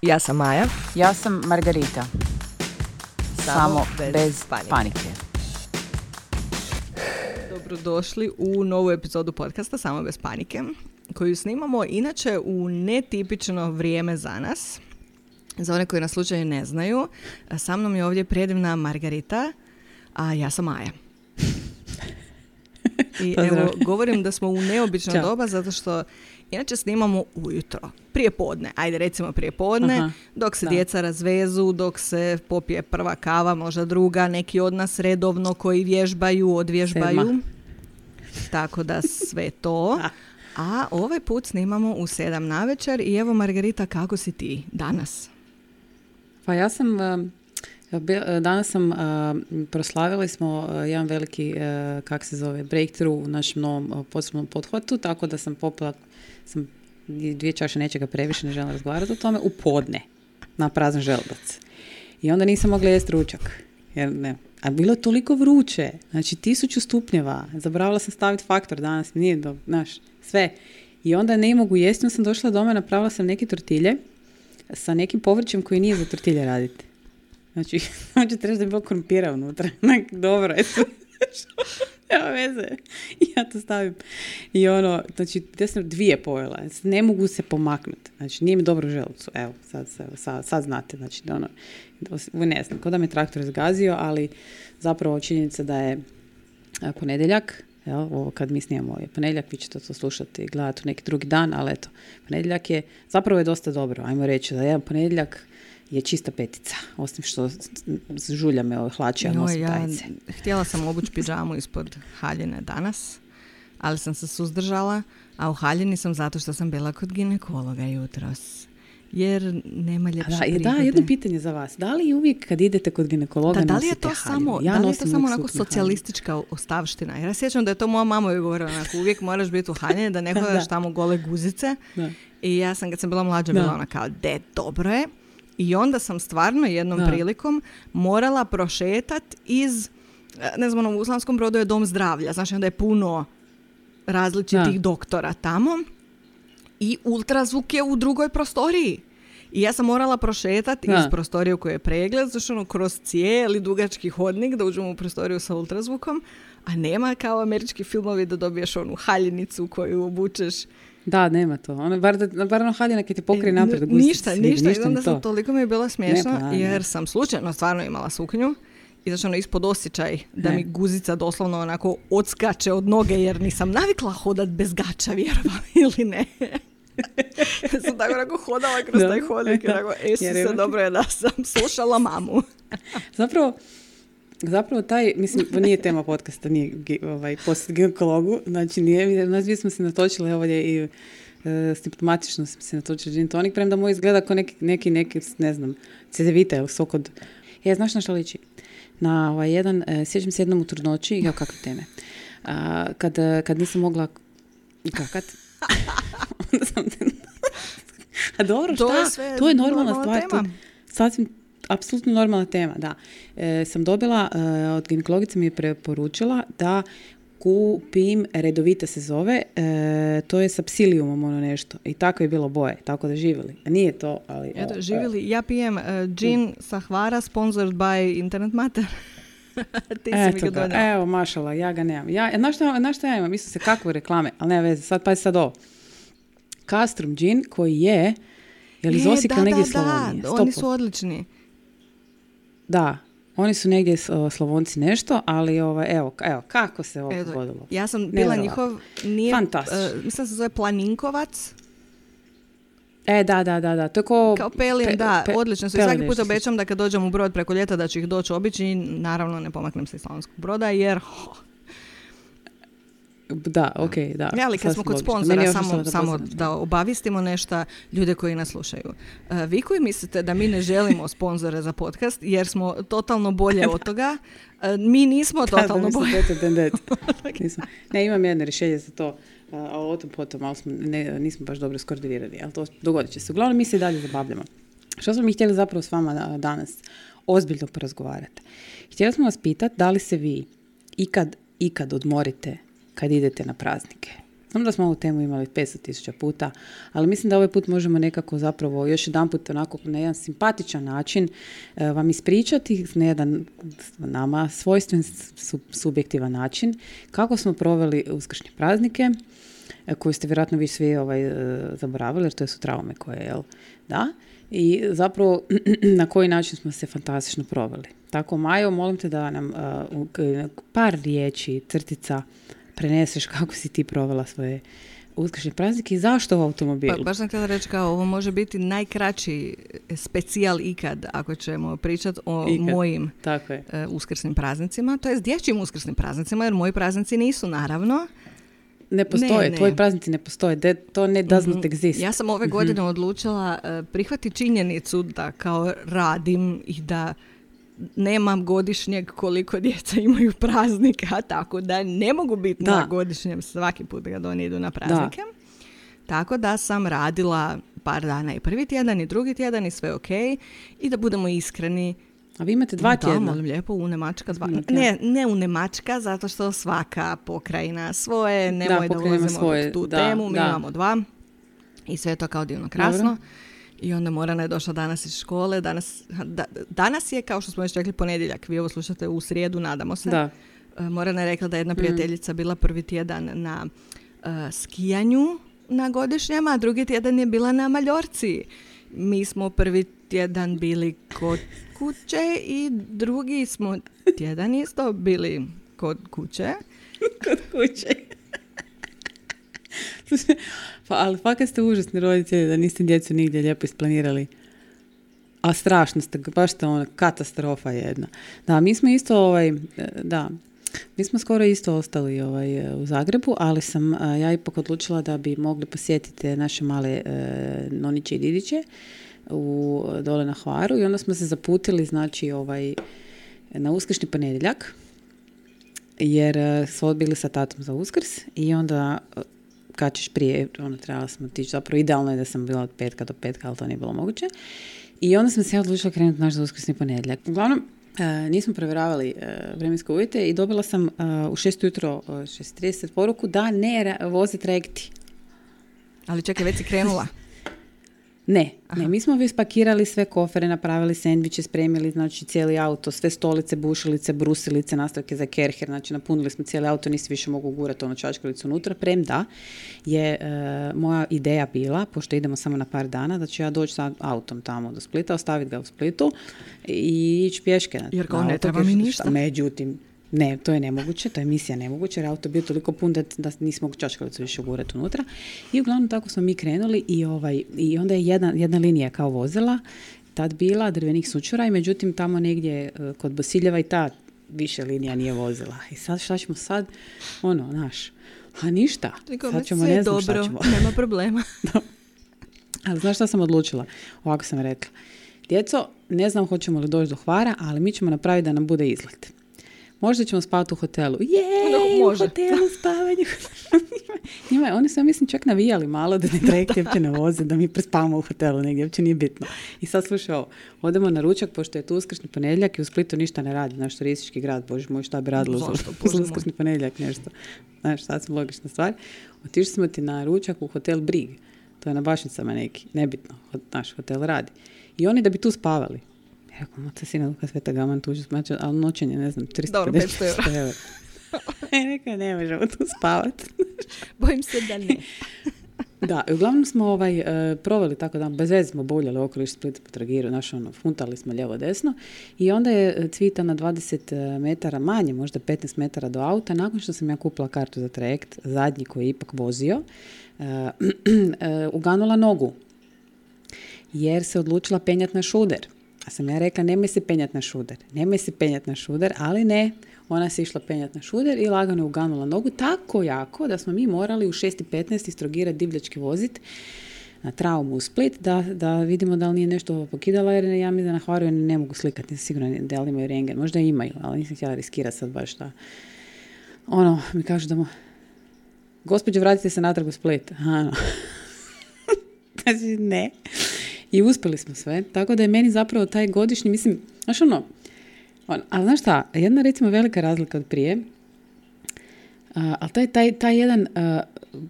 Ja sam Maja. Ja sam Margarita. Samo bez panike. Dobrodošli u novu epizodu podcasta Samo bez panike, koju snimamo inače u netipično vrijeme za nas. Za one koji nas slučaju ne znaju, sa mnom je ovdje predivna Margarita, a ja sam Maja. I evo, govorim da smo u neobično doba zato što inače snimamo ujutro, prije podne, ajde recimo prije podne, dok se djeca razvezu, dok se popije prva kava, možda druga, neki od nas redovno koji vježbaju, odvježbaju. 7. Tako da sve to. A ovaj put snimamo u 7 navečer i evo Margarita, kako si ti danas? Pa ja sam, danas sam, proslavili smo jedan veliki, breakthrough u našem novom posebnom pothvatu, tako da sam popila 2 čaše nečega previše, ne želim razgovarati o tome, u podne, na prazan želudac. I onda nisam mogla jesti ručak. Jer ne. A bilo je toliko vruće, znači 1000 stupnjeva, zaboravila sam staviti faktor danas, nije dobro, znaš, sve. I onda ne mogu jesti, onda sam došla doma, napravila sam neke tortilje sa nekim povrćem koji nije za tortilje raditi. Znači, trebaš da je bilo krompira unutra. Dobro, eto. Nema veze. Ja to stavim. I znači, ja sam 2 pojela. Ne mogu se pomaknuti. Znači, nije mi dobro u želucu. Evo, sad znate. Znači, ne znam, ko da me traktor zgazio, ali zapravo činjenica da je ponedjeljak, ovo kad mi snijemo je ponedjeljak, vi ćete to slušati i gledati u neki drugi dan, ali eto, ponedjeljak je, zapravo je dosta dobro. Ajmo reći da jedan ponedjeljak je čista petica, osim što žulja me hlače, a nosim tajice. Htjela sam obući pidžamu ispod haljine danas, ali sam se suzdržala, a u haljini sam zato što sam bila kod ginekologa jutros. Jer nema ljepše prigode. Da, jedno pitanje za vas. Da li uvijek kad idete kod ginekologa nosite haljinu? Da li je to samo onako socijalistička ostavština? Jer ja sjećam da je to moja mama joj govorila, onako, uvijek moraš biti u haljini, da ne hodaš tamo gole guzice. Da. I ja sam, kad sam bila mlađa, bila ona kao, dobro je. I onda sam stvarno jednom prilikom morala prošetat iz, ne znam, u Slavonskom Brodu je dom zdravlja, znači onda je puno različitih doktora tamo i ultrazvuk je u drugoj prostoriji. I ja sam morala prošetati iz prostorije u kojoj je pregled, znači kroz cijeli dugački hodnik da uđemo u prostoriju sa ultrazvukom, a nema kao američki filmovi da dobiješ onu haljinicu koju obučeš. Da, nema to. Bar haljina kad ti pokrije naprijed. Ništa. I onda sam toliko mi je bila smiješna jer sam slučajno stvarno imala suknju i znači ispod osjećaj da mi guzica doslovno onako odskače od noge jer nisam navikla hodat bez gača, vjerovala ili ne. Sam tako onako hodala kroz taj hodnik i onako, se dobro je da sam slušala mamu. Zapravo taj, mislim, nije tema podcasta, nije posjet ginekologu, znači nije, nas dvije smo se natočile ovdje i simptomatično smo se natočili gin tonic, premda moj izgleda kao neki, ne znam, cedevita ili sok od... Znaš na što liči? Na jedan, sjećam se jednom u trudnoći, kakve teme, kad nisam mogla kakat, onda sam a dobro, šta? To je normalna stvar, sasvim apsolutno normalna tema, da. Sam dobila, od ginekologice mi je preporučila da kupim, redovita se zove, to je sa psiliumom nešto. I tako je bilo boje, tako da živjeli. A nije to, ali... Eto, živjeli. Ja pijem gin sa Hvara, sponsored by Internet Mater. Ti si mi ga donijela. Evo, mašala, ja ga nemam. Znaš šta ja imam? Mislim se kakve reklame, ali nema veze. Sad ovo. Castrum gin koji je iz Osijeka negdje Slavonije. Da, oni su odlični. Da, oni su negdje Slavonci nešto, ali evo, kako se ovo pogodilo. Ja sam bila njihov, mislim se zove Planinkovac. Da, to je kao pelin, odlično su. I svaki put obećam da kad dođem u Brod preko ljeta da ću ih doći obići i naravno ne pomaknem se iz Slavonskog Broda jer... Da, okej, da. Ali kad smo kod sponzora, samo da obavistimo nešto ljude koji nas slušaju. Vi koji mislite da mi ne želimo sponzore za podcast jer smo totalno bolje od toga, mi nismo totalno bolje. Ne, imam jedno rješenje za to, o tom potom, ali nismo baš dobro skoordinirani, ali to dogodit će se. Uglavnom, mi se i dalje zabavljamo. Što smo mi htjeli zapravo s vama danas ozbiljno porazgovarati? Htjeli smo vas pitati da li se vi ikad odmorite kad idete na praznike. Znam da smo ovu temu imali 500,000 puta, ali mislim da ovaj put možemo nekako zapravo još jedan put onako na jedan simpatičan način vam ispričati na jedan nama svojstven subjektivan način kako smo proveli uskršnje praznike, koje ste vjerojatno vi svi zaboravili, jer to su traume koje, jel? Da? I zapravo na koji način smo se fantastično proveli. Tako, Majo, molim te da nam par riječi, crtica, preneseš kako si ti provela svoje uskršnje praznike i zašto u automobilu. Pa, baš sam htjela reći kao ovo može biti najkraći specijal ikad ako ćemo pričati o mojim uskrsnim praznicima, to je dječjim uskrsnim praznicima, jer moji praznici nisu naravno. Ne postoje, tvoji praznici ne postoje, to ne does not exist. Ja sam ove godine odlučila prihvatiti činjenicu da kao radim i da nemam godišnjeg koliko djeca imaju praznika, tako da ne mogu biti na godišnjem svaki put kad oni idu na praznike. Tako da sam radila par dana i prvi tjedan i drugi tjedan i sve ok. I da budemo iskreni. A vi imate 2 tjedna? Da, molim lijepo, unemačka 2. Ne unemačka, zato što svaka pokrajina svoje, nemoj da ulazimo tu temu, mi imamo 2. I sve je to kao divno krasno. Dobro. I onda Morana je došla danas iz škole. Danas je, kao što smo već rekli, ponedjeljak. Vi ovo slušate u srijedu, nadamo se. Da. Morana je rekla da je jedna prijateljica bila prvi tjedan na skijanju na godišnjem, a drugi tjedan je bila na Maljorci. Mi smo prvi tjedan bili kod kuće i drugi smo tjedan isto bili kod kuće. Kod kuće. Ali fakat ste užasni roditelji da niste djecu nigdje lijepo isplanirali. A strašno ste, baš ste ona katastrofa jedna. Da, mi smo isto mi smo skoro isto ostali u Zagrebu, ali sam ja ipak odlučila da bi mogli posjetiti naše male noniće i didiće dole na Hvaru i onda smo se zaputili na uskršnji ponedjeljak jer smo odbili sa tatom za Uskrs i onda kad ćeš prije, trebala smo tići, zapravo idealno je da sam bila od petka do petka, ali to nije bilo moguće. I onda sam se ja odlučila krenuti naš za uskrsni ponedjeljak. Uglavnom, nismo provjeravali vremenske uvjete i dobila sam u 6 ujutro, 6:30 poruku da ne voze trajekti. Ali čekaj, već si krenula? Ne, mi smo već spakirali sve kofere, napravili sendviče, spremili, znači cijeli auto, sve stolice, bušilice, brusilice, nastavke za kerher, znači napunili smo cijeli auto, nisi više mogu gurati čačkalicu unutra, premda je moja ideja bila, pošto idemo samo na par dana, da ću ja doći sa autom tamo do Splita, ostaviti ga u Splitu i ići pješke. Jer kao ne treba mi ništa. Međutim, ne, to je nemoguće, to je misija nemoguće, jer auto je bio toliko pun da nismo mogu čačkalicu više ugurati unutra. I uglavnom tako smo mi krenuli i onda je jedna linija kao vozila, tad bila drvenih sučura i međutim tamo negdje kod Bosiljeva i ta više linija nije vozila. I sad šta ćemo sad? A ništa. Sad ćemo, ne znam šta ćemo. Nema problema. Ali znaš šta sam odlučila? Ovako sam rekla. Djeco, ne znam hoćemo li doći do Hvara, ali mi ćemo napraviti da nam bude izlet. Možda ćemo spavati u hotelu. U hotelu spavanje. Oni su, ja mislim, čak navijali malo da ne trajekti uopće ne voze, da mi prespavamo u hotelu negdje, uopće nije bitno. I sad slušaj ovo, odemo na ručak, pošto je tu uskršnji ponedjeljak i u Splitu ništa ne radi, naš turistički grad, bože moj, šta bi radilo za uskršnji ponedjeljak, nešto. Znaš, sad su logična stvar. Otišli smo ti na ručak u hotel Brig, to je na Bašnicama neki, nebitno, naš hotel radi. I oni da bi tu spavali. Rekao, moca sina Luka Sveta Gaman tuđu smača, ali noćenje, ne znam, 350 eura. Rekao, ne možemo tu spavati. Bojim se da ne. Da, uglavnom smo proveli tako da bez veze smo boljali okoliš Splita po Trogiru, funtali smo lijevo desno i onda je Cvita na 20 metara manje, možda 15 metara do auta, nakon što sam ja kupila kartu za trajekt, zadnji koji je ipak vozio, uganula nogu jer se odlučila penjati na šuder. A sam ja rekla, nemoj se penjati na šuder, ali ne, ona se išla penjati na šuder i lagano uganula nogu tako jako da smo mi morali u 6:15 iz Trogira divljački voziti na traumu u Split da vidimo da li nije nešto pokidala, jer ja mi da na Hvaru ne mogu slikati, nisam sigurna da li imaju rengen, možda imaju, ali nisam htjela riskirati sad baš da mi kažu da gospođo, vratite se natrag u Split. Znači, ne. I uspjeli smo sve, tako da je meni zapravo taj godišnji, mislim, ali znaš šta, jedna recimo velika razlika od prije, Ali taj jedan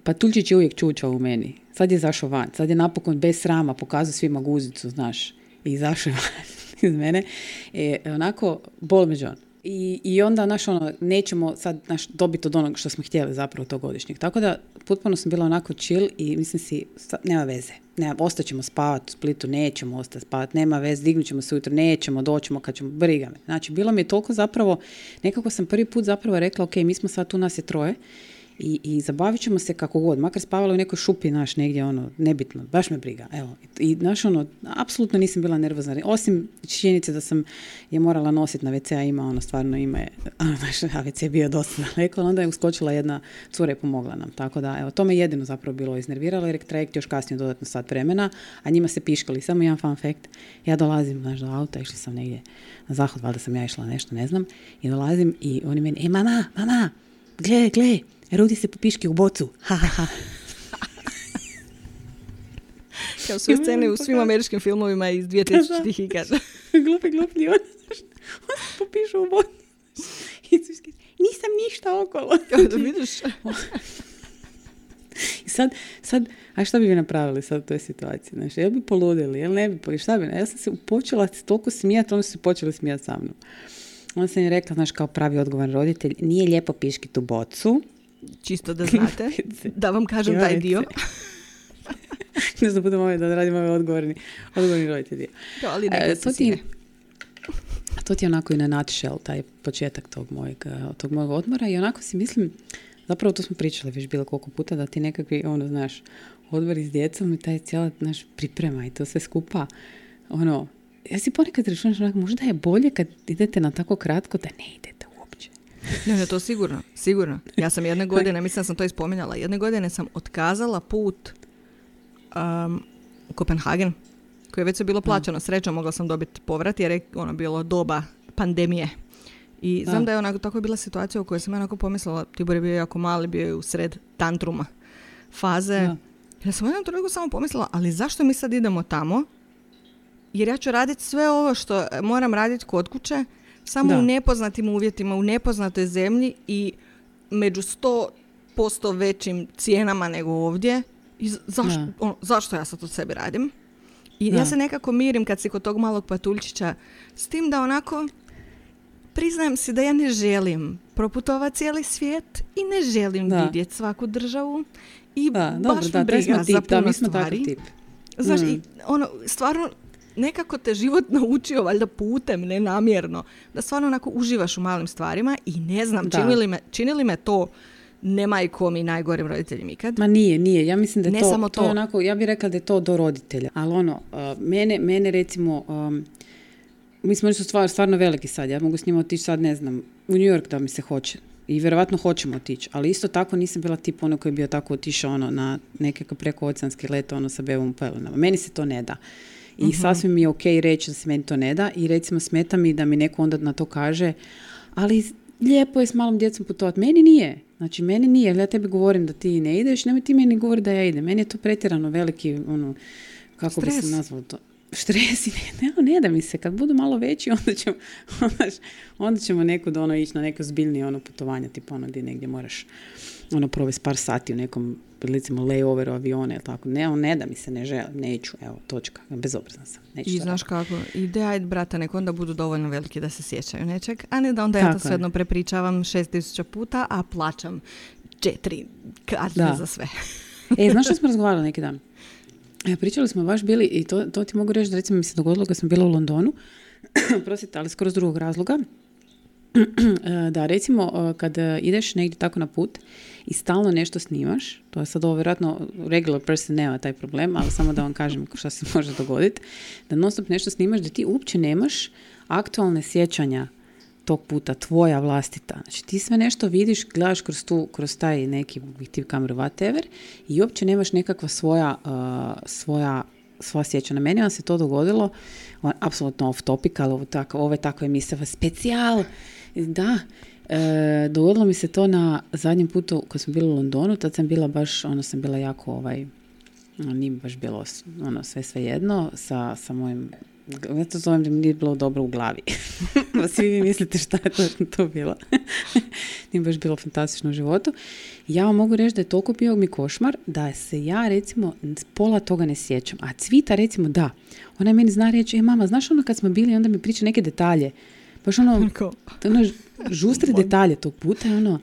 patuljčić je uvijek čučao u meni. Sad je zašao van. Sad je napokon bez srama pokazao svima guzicu, znaš. I izašao van iz mene. Onako, bol me John. I onda, nećemo sad dobiti od onog što smo htjeli zapravo tog godišnjeg. Tako da, potpuno sam bila onako chill i mislim si, nema veze. Ostaćemo spavati u Splitu, nećemo ostati spavati, nema veze, dignut ćemo se ujutro, nećemo, doćemo kad ćemo, briga me. Znači, bilo mi je toliko zapravo, nekako sam prvi put zapravo rekla, ok, mi smo sad tu, nas je 3 i zabavit ćemo se kako god, makar spavala u nekoj šupi, negdje, nebitno, baš me briga, evo. I, apsolutno nisam bila nervozna, osim činjenice da sam je morala nositi na WC, a ima, stvarno ime, WC je bio dosta daleko, onda je uskočila jedna cura i pomogla nam, tako da, evo, to me jedino zapravo bilo iznerviralo, jer je trajekt još kasnije dodatno sat vremena, a njima se piškali. Samo jedan fun fact, ja dolazim, do auta, išla sam negdje na zahod, valjda sam ja išla nešto, ne znam, i dolazim i oni meni, mama, gle, Rudi se popiški u bocu. Ha, ha, ha. Kao sve scene u svim američkim filmovima iz 2000-ih i kaže. Glupi, on se popišu u bocu. Nisam ništa okolo. Da vidiš. I sad, a šta bi vi napravili sad u toj situaciji? Znači, jel bi poludili, jel ne bi, šta bi? Ja sam se počela toliko smijati, oni su se počeli smijati sa mnom. Onda sam je rekla, kao pravi odgovoran roditelj, nije lijepo piškiti u bocu. Čisto da znate, da vam kažem taj dio. Ne znam, budemo da radim ove odgovorni roditelji. Ali to ti je onako i na nutshell, taj početak tog mojeg odmora i onako si mislim, zapravo to smo pričali već bilo koliko puta, da ti nekakvi, odmori s djecom i taj cijela, priprema i to sve skupa, ja si ponekad računaš, možda je bolje kad idete na tako kratko da ne idete uopće. Ne, to sigurno. Ja sam jedne godine, mislim da sam to ispominjala, jedne godine sam otkazala put u Kopenhagen, koje je već bilo plaćeno. Srećom, mogla sam dobiti povrat jer je bilo doba pandemije. I znam da je tako bila situacija u kojoj sam onako pomislila, Tibor je bio jako mali, bio je u sred tantruma faze. Ja sam u jednom trenutku samo pomislila, ali zašto mi sad idemo tamo? Jer ja ću raditi sve ovo što moram raditi kod kuće, samo u nepoznatim uvjetima, u nepoznatoj zemlji i među 100% većim cijenama nego ovdje. I zašto ja sad od sebe radim? I ja se nekako mirim kad si kod tog malog patuljčića s tim da onako priznajem si da ja ne želim proputovati cijeli svijet i ne želim vidjeti svaku državu i baš mi briga za puno stvari. Znaš, i stvarno nekako te život naučio, valjda putem, nenamjerno, da stvarno onako uživaš u malim stvarima i ne znam, čini li me to ne majkom i najgorim roditeljima ikad? Ma nije. Ja mislim da je to je onako, ja bih rekla da je to do roditelja. Ali mene recimo, mislim, oni su stvarno veliki sad. Ja mogu s njima otići sad, ne znam, u New York da mi se hoće. I vjerovatno hoćemo otići. Ali isto tako nisam bila tip ono koji je bio tako otišao na nekakav prekooceanski let sa bebom u pelenama. Meni se to ne da. I sasvim mi je ok reći da se meni to ne da. I recimo smeta mi da mi neko onda na to kaže, ali lijepo je s malom djecom putovati. Meni nije. Znači, meni nije. Ja tebi govorim da ti ne ideš, nemoj ti meni govori da ja idem. Meni je to pretjerano veliki, kako stres. Bi se nazvalo to? Stres i ne da mi se. Kad budu malo veći, onda ćemo nekud ići na neko zbiljnije putovanje, tipa gdje negdje moraš provesti par sati u nekom, recimo, layoveru aviona ili tako. Ne da mi se, ne želim, neću, evo, točka. Bezobrazna sam. I znaš kako, ajde brata, nek onda budu dovoljno veliki da se sjećaju nečeg, a ne da onda ja to svejedno prepričavam 6000 puta, a plaćam 4 karte za sve. Znaš što smo razgovarali neki dan? Pričali smo baš bili, i to ti mogu reći da recimo mi se dogodilo kad sam bila u Londonu, prosite, ali skoro s drugog razloga, da recimo kad ideš negdje tako na put i stalno nešto snimaš, to je sad ovo vjerojatno regular person nema taj problem, ali samo da vam kažem što se može dogoditi, da non stop nešto snimaš da ti uopće nemaš aktualne sjećanja tog puta, tvoja vlastita. Znači ti sve nešto vidiš, gledaš kroz taj neki objektiv kameru, whatever, i uopće nemaš nekakva svoja sjećanja. Meni vam se to dogodilo, apsolutno off topic, ali ovo je tako emisija, specijal. Da, dogodilo mi se to na zadnjem putu kad smo bili u Londonu, tad sam bila baš, sam bila jako, nije baš bilo sve jedno, sa mojim, ja to zovem da mi nije bilo dobro u glavi. Svi vi mislite šta je to bilo. nije baš bilo fantastično u životu. Ja vam mogu reći da je toliko bio mi košmar da se ja recimo pola toga ne sjećam. A Cvita recimo da. Ona meni zna reći, mama, znaš ono kad smo bili, onda mi priča neke detalje. Baš ono žustre detalje tog puta je ono,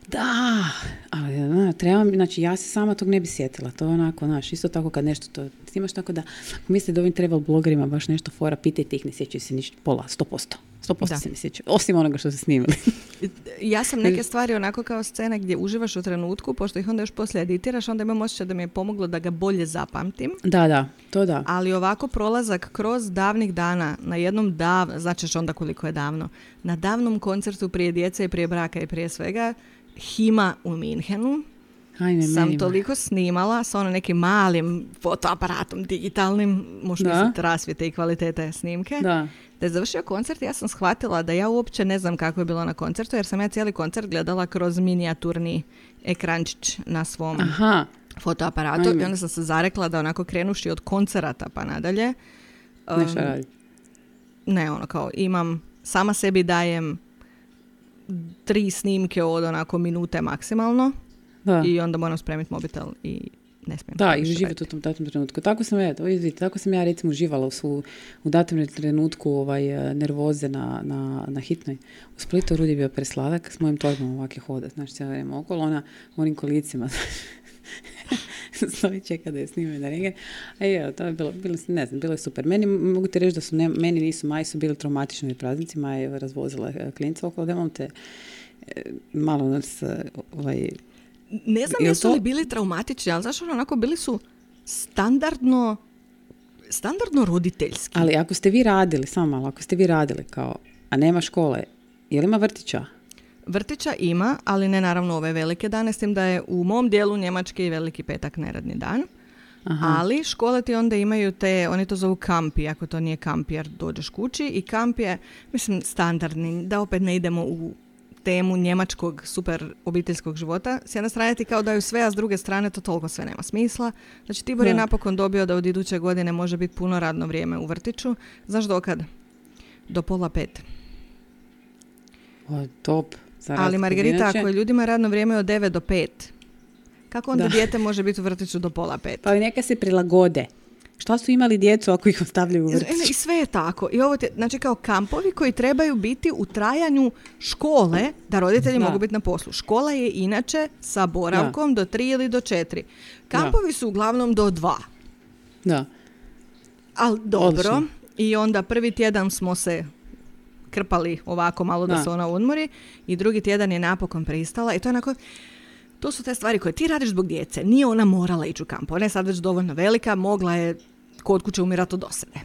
da, ali trebam, znači ja se sama tog ne bi sjetila, to je onako, znaš, isto tako kad nešto to snimaš, tako da mislim da ovim travel blogerima baš nešto fora, pitajte ih, ne sjećaju se ništa, pola, 100% se ne sjećaju, osim onoga što se snimili. Ja sam neke stvari onako kao scene gdje uživaš u trenutku, pošto ih onda još poslije editiraš, onda imam osjećaj da mi je pomoglo da ga bolje zapamtim. Da, to da. Ali ovako prolazak kroz davnih dana, na jednom značiš onda koliko je davno, na davnom koncertu prije djece i prije braka i prije svega, Hima u Minhenu. Sam toliko snimala sa ono nekim malim fotoaparatom digitalnim, možda misliti rasvijete i kvalitete snimke. Da je završio koncert, ja sam shvatila da ja uopće ne znam kako je bilo na koncertu, jer sam ja cijeli koncert gledala kroz minijaturni ekrančić na svom fotoaparatu. I onda sam se zarekla da onako krenuši od koncerata pa nadalje. Nešto radi. Ne, ono kao imam, sama sebi dajem 3 snimke od onako minute maksimalno. Da. I onda moram spremiti mobitel i ne smijem. Da, i uživati u tom datom trenutku. Tako sam ja recimo uživala u datom trenutku nervoze na hitnoj. U Splitu Rudi je bio presladak, s mojim torbom ovakve hoda, znači cijelo vrijeme okolo, ona u onim kolicima stoji čeka da je snime na renge. A je, to je bilo je super. Meni, mogu ti reći da su, meni nisu, Maji su bili traumatični praznici, Maja je razvozila klinca okolo, da imam te malo nas ne znam jesu li bili traumatični, ali znaš onako bili su standardno roditeljski. Ali ako ste vi radili kao, a nema škole, je li ima vrtića? Vrtića ima, ali ne naravno ove velike dane, s tim da je u mom dijelu Njemačke i veliki petak neradni dan. Aha. Ali škole ti onda imaju oni to zovu kampi, ako to nije kamp jer dođeš kući i kamp je, mislim, standardni, da opet ne idemo u temu njemačkog super obiteljskog života. S jedne strane ti kao daju sve, a s druge strane to toliko sve nema smisla. Znači Tibor je napokon dobio da od iduće godine može biti puno radno vrijeme u vrtiću. Znaš dokad? Do 4:30. O, top. Ali Margarita, ako je ljudima radno vrijeme od 9 do 5, kako onda dijete može biti u vrtiću do 4:30? Pa neka se prilagode. Šta su imali djecu ako ih ostavljaju u vrtiću? I sve je tako. I ovo znači kao kampovi koji trebaju biti u trajanju škole, da roditelji mogu biti na poslu. Škola je inače sa boravkom do 3 ili do 4. Kampovi su uglavnom do 2. Da. Ali dobro. Odlično. I onda prvi tjedan smo se krpali ovako malo da se ona odmori i drugi tjedan je napokon pristala i to je onako... To su te stvari koje ti radiš zbog djece. Nije ona morala ići u kamp. Ona je sad već dovoljno velika, mogla je kod kuće umirati od dosade.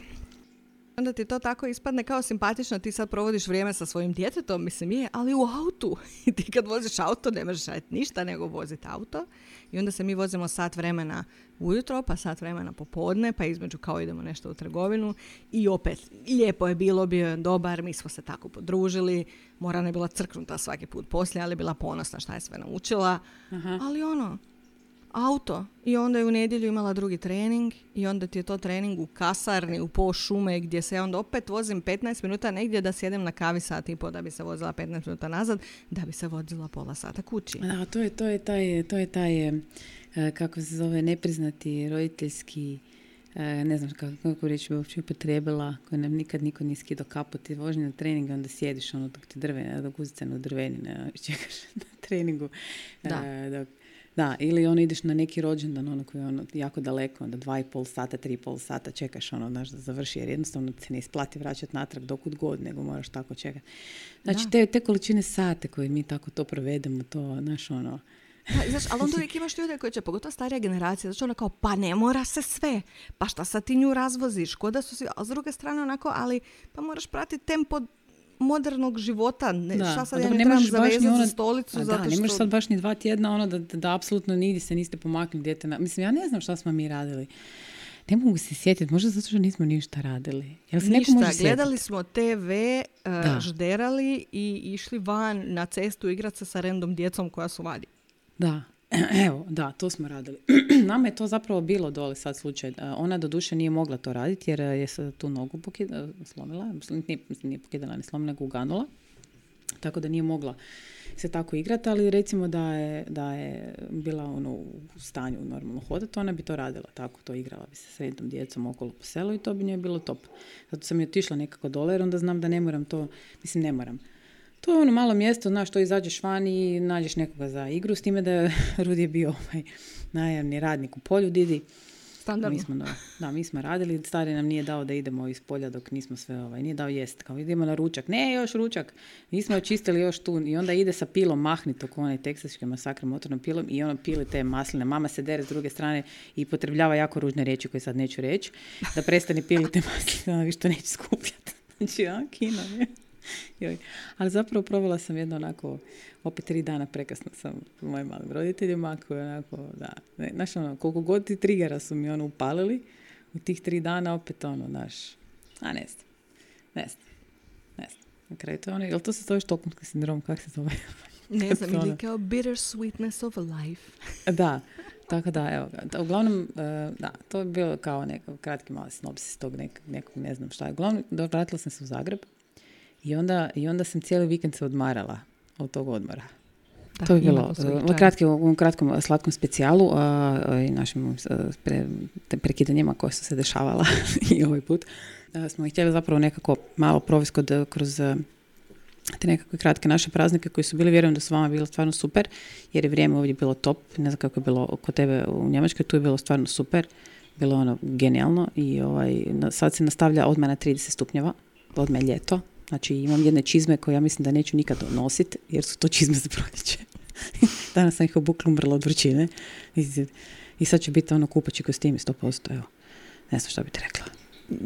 Onda ti to tako ispadne kao simpatično, ti sad provodiš vrijeme sa svojim djetetom, mislim je, ali u autu. I ti kad voziš auto ne možeš raditi ništa nego voziti auto. I onda se mi vozimo sat vremena ujutro, pa sat vremena popodne, pa između kao idemo nešto u trgovinu. I opet, lijepo je bilo, bio je dobar, mi smo se tako podružili. Morana je bila crknuta svaki put poslije, ali bila ponosna šta je sve naučila. Aha. Ali auto. I onda je u nedjelju imala drugi trening i onda ti je to trening u kasarni, u po šume, gdje se ja onda opet vozim 15 minuta negdje da sjedem na kavi sat i po da bi se vozila 15 minuta nazad, da bi se vozila pola sata kući. Da, to je taj kako se zove, nepriznati roditeljski, ne znam kako reći bi uopće upotrijebila, koji nam nikad niko nije skidao kapu, ti vožnje na trening, onda sjediš dok ti dok guzice na drvenine čekaš na treningu. Da, ili ideš na neki rođendan, koji je jako daleko, onda 2,5 sata, 3,5 sata čekaš, da završi, jer jednostavno se ne isplati vraćati natrag dokud god, nego moraš tako čekati. Znači, te količine sate koje mi tako to provedemo, to, Znaš, ali onda uvijek imaš ljude koji će, pogotovo starija generacija, znači kao, pa ne mora se sve, pa šta sad ti nju razvoziš, ko da su svi, a s druge strane ali pa moraš pratiti tempo modernog života. Šta sad ja ne trebam zavezati za stolicu? Da, ne možeš sad baš ni 2 tjedna da apsolutno nigdje se niste pomaknuli dijete. Mislim, ja ne znam šta smo mi radili. Ne mogu se sjetiti, možda zato što nismo ništa radili. Ništa, gledali smo TV, žderali i išli van na cestu igrati se sa random djecom koja su vadi. Da. Evo, da, to smo radili. Nama je to zapravo bilo dole sad slučaj. Ona doduše nije mogla to raditi jer je tu nogu slomila. Nije pokidala, ni slomila, nego uganula. tako da nije mogla se tako igrati, ali recimo da je bila u stanju normalno hodati, ona bi to radila tako, to igrala bi se s jednom djecom okolo po selu i to bi njoj bilo top. Zato sam je otišla nekako dole, jer onda znam da ne moram to, ne moram. To je malo mjesto, znaš, to izađeš van i nađeš nekoga za igru, s time da je Rudi je bio najamni radnik u polju, Didi. Standardno. Mi smo radili, stari nam nije dao da idemo iz polja dok nismo sve, nije dao jest, kao idemo na ručak, ne još ručak, nismo očistili još tu i onda ide sa pilom mahnito ko onaj teksaški masakr motornom pilom i ono pili te masline, mama se dere s druge strane i potrebljava jako ružne riječi koje sad neću reći, da prestane pili te masline, ona više to neće skupljati, znači kino je. Joj. Ali zapravo provela sam jedno onako, opet 3 dana prekasno sam mojim malim roditeljima, koji onako, da, znaš koliko god ti trigera su mi upalili, u tih 3 dana opet znaš, ne znam. Na kraju to je jel to se zove štokholmski sindrom, kako se zove? Ne znam, ili kao bitter sweetness of life. Da, tako da, evo ga. Uglavnom, to je bilo kao kratki mali sinopsis tog nekog, ne znam šta je. Uglavnom, vratila sam se u Zagreb. I onda sam cijeli vikend se odmarala od tog odmora. Da, to je bilo u kratkom slatkom specijalu i našim prekidanjima koje su se dešavala i ovaj put. Smo htjeli zapravo nekako malo provesti kroz te nekakve kratke naše praznike koji su bili, vjerujem da su vama bili stvarno super, jer je vrijeme ovdje bilo top. Ne znam kako je bilo kod tebe u Njemačkoj, tu je bilo stvarno super. Bilo genijalno i sad se nastavlja odmah na 30 stupnjeva, odmah je ljeto. Znači imam jedne čizme koje ja mislim da neću nikad nositi, jer su to čizme za proljeće. Danas sam ih obukla, umrla od vrućine. I sad će biti kupaći kostimi 100%. Evo, ne znam šta bi ti rekla.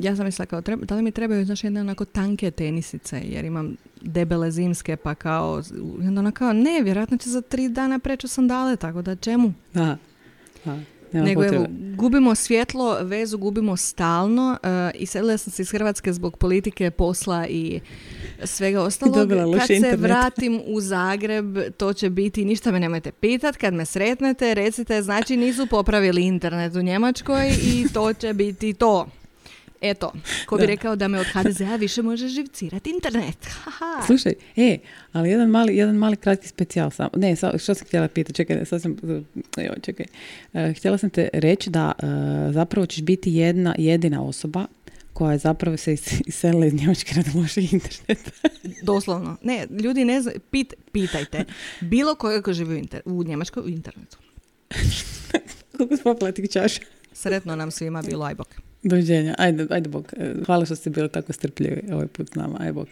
Ja sam mislila kao, da li mi trebaju, znaš, jedne onako tanke tenisice, jer imam debele zimske, pa kao, onda kao, ne, vjerojatno će za 3 dana preći sandale, tako da čemu? Da. Nego evo, gubimo svjetlo, vezu gubimo stalno. Iselila sam se iz Hrvatske zbog politike, posla i svega ostalog. Kad se vratim u Zagreb, to će biti, ništa me nemojte pitat, kad me sretnete, recite, znači nisu popravili internet u Njemačkoj i to će biti to. Eto, ko bi rekao da me od HDZ-a više može živcirati internet. Slušaj, ali jedan mali kratki specijal samo. Ne, što sam htjela pitati, čekaj. Htjela sam te reći da zapravo ćeš biti jedina osoba koja je zapravo se iselila iz Njemačke radi lošeg interneta. Doslovno. Ne, ljudi ne znaju, pitajte. Bilo koga ko živi u Njemačkoj u internetu. Koliko spopila tih čaša? Sretno nam svima bilo, aj bok. Doviđenja, ajde bok. Hvala što ste bili tako strpljivi ovaj put s nama, aj bok.